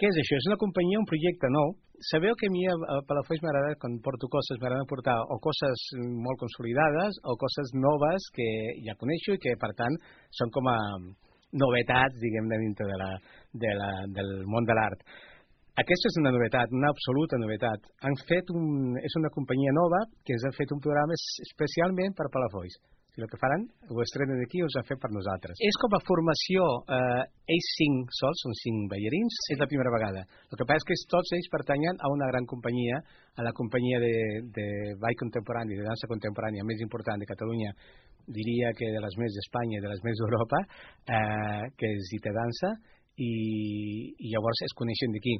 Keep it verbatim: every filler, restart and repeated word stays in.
què és això? És una companyia, un projecte nou. Sabeu que a mi a Palafolls m'agrada, quan porto coses, m'agrada portar o coses molt consolidades o coses noves que ja coneixo i que, per tant, són com a novetats, diguem-ne, dintre de la, de la, del món de l'art. Aquesta és una novetat, una absoluta novetat. Han fet un, és una companyia nova que ens ha fet un programa especialment per Palafolls. Si el que faran, ho estrenen aquí i us han fet per nosaltres. És com a formació, eh, ells cinc sols, són cinc ballarins, sí. És la primera vegada. El que passa és que tots ells pertanyen a una gran companyia, a la companyia de, de ball contemporani, de dansa contemporània més important de Catalunya, diria que de les més d'Espanya i de les més d'Europa, eh, que és Ite Dansa, i, i llavors es coneixen d'aquí.